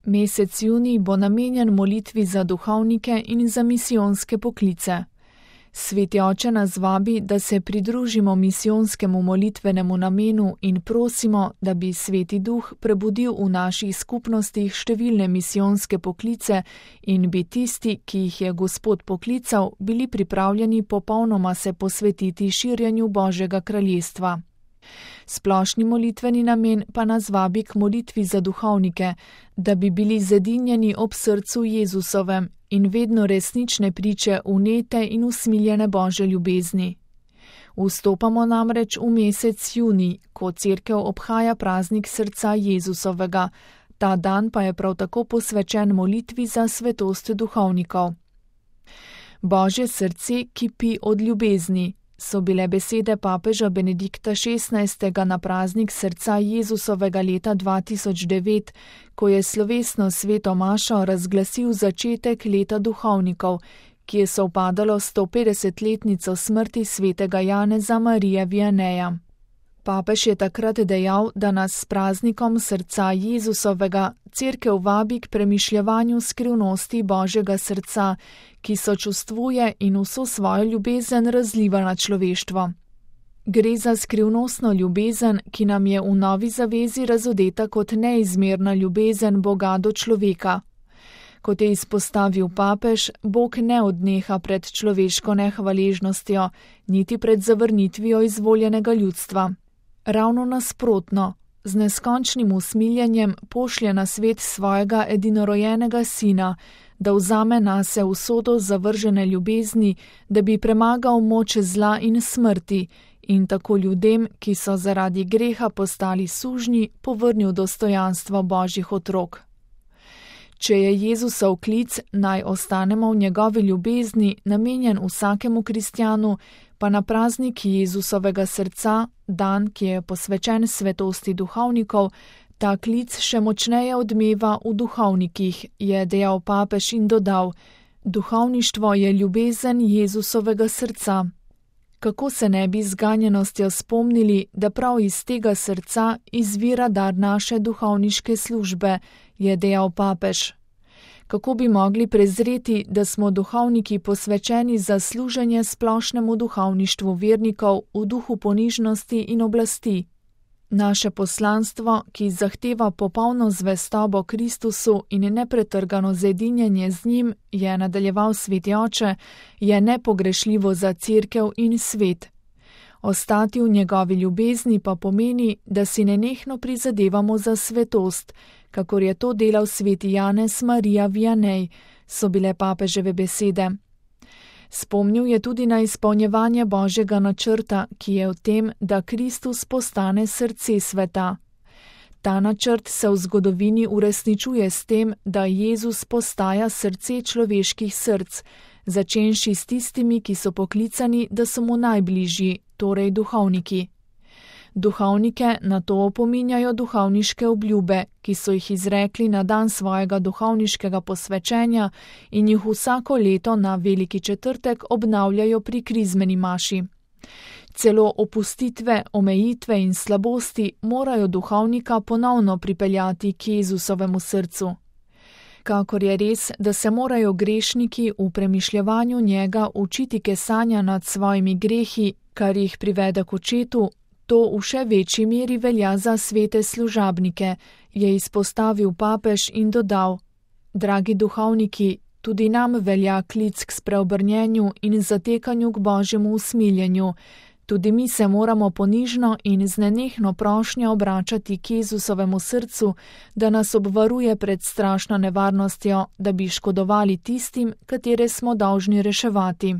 Mesec junij bo namenjen molitvi za duhovnike in za misijonske poklice. Sveti oče nas vabi, da se pridružimo misijonskemu molitvenemu namenu in prosimo, da bi Sveti Duh prebudil v naših skupnostih številne misijonske poklice in bi tisti, ki jih je Gospod poklical, bili pripravljeni popolnoma se posvetiti širjenju Božjega kraljestva. Splošni molitveni namen pa nas vabi k molitvi za duhovnike, da bi bili zedinjeni ob srcu Jezusovem in vedno resnične priče vnete in usmiljene Božje ljubezni. Vstopamo namreč v mesec junij, ko Cerkev obhaja praznik srca Jezusovega. Ta dan pa je prav tako posvečen molitvi za svetost duhovnikov. Božje srce kipi od ljubezni, so bile besede papeža Benedikta XVI. Na praznik srca Jezusovega leta 2009, ko je slovesno sveto mašo razglasil začetek leta duhovnikov, ki je sovpadalo s 150-letnico smrti svetega Janeza Marija Vianeja. Papež je takrat dejal, da nas s praznikom srca Jezusovega Cerkev vabi k premišljevanju skrivnosti Božjega srca, ki sočustvuje in vso svojo ljubezen razliva na človeštvo. Gre za skrivnostno ljubezen, ki nam je v novi zavezi razodeta kot neizmerna ljubezen Boga do človeka. Kot je izpostavil papež, Bog ne odneha pred človeško nehvaležnostjo, niti pred zavrnitvijo izvoljenega ljudstva. Ravno nasprotno, z neskončnim usmiljenjem pošlje na svet svojega edinorojenega sina, da vzame nase usodo zavržene ljubezni, da bi premagal moč zla in smrti in tako ljudem, ki so zaradi greha postali sužnji, povrnil dostojanstvo Božjih otrok. Če je Jezusov klic, naj ostanemo v njegovi ljubezni, namenjen vsakemu kristjanu, pa na praznik Jezusovega srca, dan, ki je posvečen svetosti duhovnikov, ta klic še močneje odmeva v duhovnikih, je dejal papež in dodal: duhovništvo je ljubezen Jezusovega srca. Kako se ne bi z ganjenostjo spomnili, da prav iz tega srca izvira dar naše duhovniške službe, je dejal papež. Kako bi mogli prezreti, da smo duhovniki posvečeni za služenje splošnemu duhovništvu vernikov v duhu ponižnosti in oblasti. Naše poslanstvo, ki zahteva popolno zvestobo Kristusu in nepretrgano zedinjenje z njim, je nadaljeval sveti oče, je nepogrešljivo za Cerkev in svet. Ostati v njegovi ljubezni pa pomeni, da si nenehno prizadevamo za svetost, kakor je to delal sveti Janez Marija Vianej, so bile papeževe besede. Spomnil je tudi na izpolnjevanje Božjega načrta, ki je v tem, da Kristus postane srce sveta. Ta načrt se v zgodovini uresničuje s tem, da Jezus postaja srce človeških src, začenši s tistimi, ki so poklicani, da so mu najbližji, torej duhovniki. Duhovnike na to opominjajo duhovniške obljube, ki so jih izrekli na dan svojega duhovniškega posvečenja in jih vsako leto na Veliki četrtek obnavljajo pri krizmeni maši. Celo opustitve, omejitve in slabosti morajo duhovnika ponovno pripeljati k Jezusovemu srcu. Kakor je res, da se morajo grešniki v premišljevanju njega učiti kesanja nad svojimi grehi, kar jih privede k očetu, to v še večji meri velja za svete služabnike, je izpostavil papež in dodal: dragi duhovniki, tudi nam velja klic k spreobrnjenju in zatekanju k Božjemu usmiljenju. Tudi mi se moramo ponižno in z nenehno prošnjo obračati k Jezusovemu srcu, da nas obvaruje pred strašno nevarnostjo, da bi škodovali tistim, katere smo dolžni reševati.